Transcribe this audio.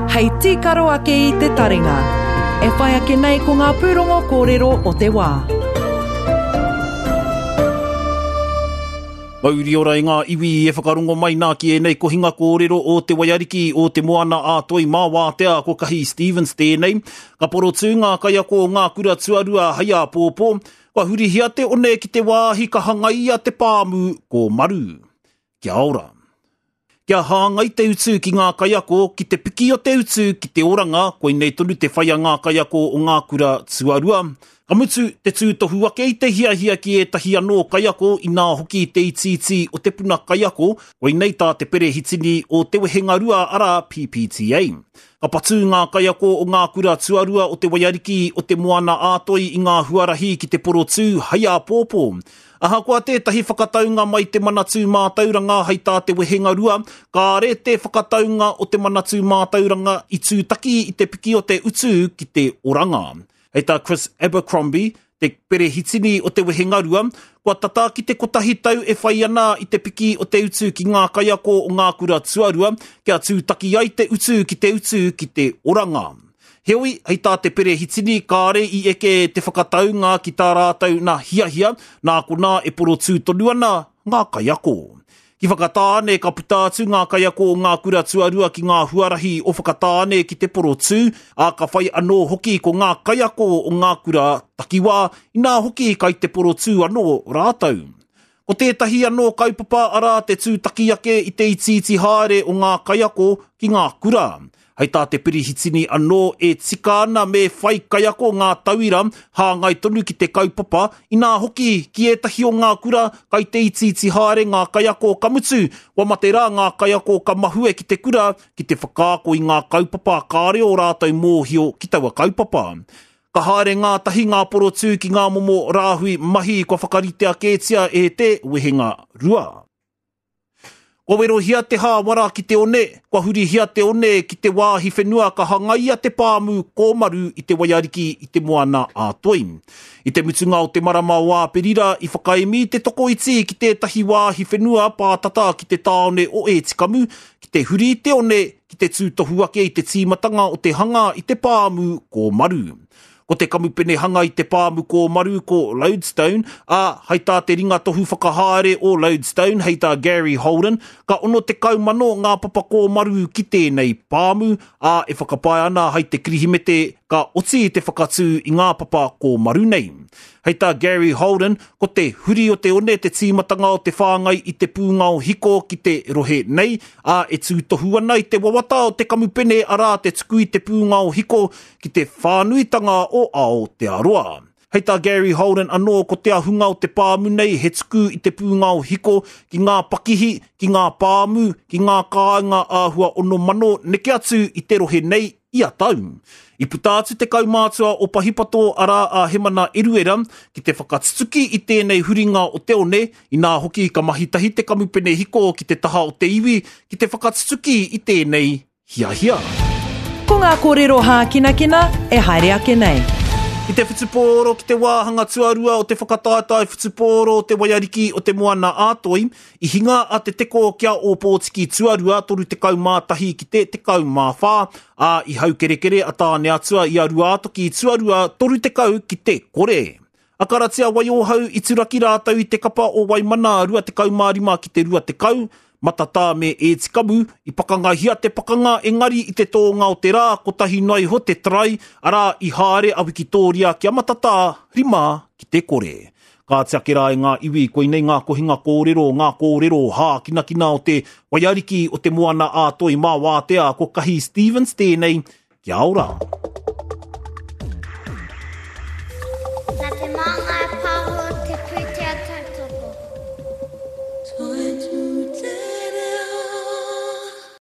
Hei tīkaro ake i te taringa. E whai ake nei ko ngā pūrongo kōrero o te wā. Mauri ora i ngā iwi e whakarongo mai nā ki ēnei kohinga kōrero o Te Waiariki, o Te Moana a Toi mā Wātea, ko Kahi Stevens tēnei. Ka porotū ngā kaiako o ngā kura tuarua hei āpōpō, kua hurihia te one ki te wāhi ka hangaia te pāmu kōmaru. Kia ora. Kia hāngai te utu ki ngā kaiako, ki te piki o te utu ki te oranga, koinei tonu te whai a ngā kaiako o ngā kura tuarua. Ka mutu, te tūtohu ake i te hiahia ki ētahi anō kaiako inā hoki te itiiti o te puna kaiako, koinei tā te perehitini o Te Wehengarua arā PPTA. Ka patū ngā kaiako o ngā kura tuarua o Te Waiariki, o Te Moana-a-Toi i ngā huarahi ki te porotū hei āpōpō. Ahakoa tētahi whakataunga mai Te Manatū Mātauranga hei tā te wehengarua, kāre te whakataunga o Te Manatū Mātauranga i tūtaki i te piki o te utu ki te oranga. Hei tā Chris Abercrombie, te perehitini o te wehengarua, kua tata ki te kotahi tau e whai ana i te piki o te utu ki ngā kaiako o ngā kura tuarua kia tūtaki ai te utu ki te utu ki te oranga. Heoi, hei tā te perehitini, kāre i eke te whakataunga ki tā rātou nā hiahia, nā konā e porotū tonu ana ngā kaiako. Ki Whakatāne, ka puta atu ngā kaiako o ngā kura tuarua ki ngā huarahi o Whakatāne ki te porotū, ā, ka whai anō hoki ko ngā kaiako o ngā kura takiwā, inā hoki kai te porotū anō rātou. Ko tētahi anō kaupapa arā te tūtaki ake i te itiiti haere o ngā kaiako ki ngā kura. Hei tā te Pirihitini anō e tika ana me whai kaiako ngā tauira hāngai tonu ki te kaupapa, inā hoki ki ētahi o ngā kura kai te itiiti haere ngā kaiako ka mutu, kua mate rā ngā kaiako ka mahue ki te kura ki te whakaako i ngā kaupapa kāre ō rātou mōhio ki taua kaupapa. Ka haere ngātahi ngā porotū ki ngā momo rāhui mahi kua whakaritea kētia e te wehenga rua. Kua werohia te hāwara ki te one, kua hurihia te one ki te wāhi whenua ka hangaia te pāmu kōmaru i te waiariki i te moana ā-toi. I te mutunga o te marama o Āperira i whakaemi te tokoiti ki tētahi wāhi whenua pātata ki te tāone o Ētikamu ki te huri i te one ki te tūtohu ake i te tīmatanga o te hanga i te pāmu kōmaru. Ko te kamupene hanga i te pāmu kōmaru ko Lodestone, ā, hai tā te ringatohu whakahaere o Lodestone, hei tā Gary Holden, ka 60,000 ngā papa kōmaru ki tēnei pāmu, ā, e whakapae ana hai te Kirihimete ka oti te whakatū i ngā papa kōmaru nei. Hei tā Gary Holden, ko te huri o te one te tīmatanga o te whāngai i te pūngao hiko ki te rohe nei, ā, e tūtohu ana i te wawata o te kamupene arā te tuku i te pūngao hiko ki te whānuitanga o Aotearoa. Hei tā Gary Holden anō ko te ahunga o te pāmu nei he tuku i te pūngao hiko ki ngā pakihi, ki ngā pāmu, ki ngā kāinga āhua 6,000 neke atu i te rohe nei ia tau. I puta atu te kaumātua o Pahipato arā a Hemana Eruera ki te whakatutuki i tēnei huringa o te one, inā hoki ka mahi tahi te kamupene hiko ki te taha o te iwi ki te whakatutuki i tēnei hiahia. Ko ngā kōrero hākinakina e haere ake nei. Ki te whutupōro ki te wāhanga tuarua o te whakataetae whutupōro o te Waiariki o Te Moana-a-Toi, I hinga a Te Teko ki a Ōpōtiki Tuarua 31 ki te 14, ā, i haukerekere a Tāneatua i a Ruātoki Tuarua 30 ki te kore. A Karatia Waiohau i turaki rātou i te kapa o Waimana 25 ki te 20, Matatā me Ētikamu, i pakangahia te pakanga engari i te tōnga o te rā kotahi noa iho te try, arā, i haere a Wikitōria ki a Matatā, 5 ki te kore. Kāti ake rā e ngā iwi, koinei ngā kohinga kōrero, ngā kōrero hākinakina o te waiariki o te Moana ā-Toi mā Wātea, ko Kahi Stevens tēnei, kia ora.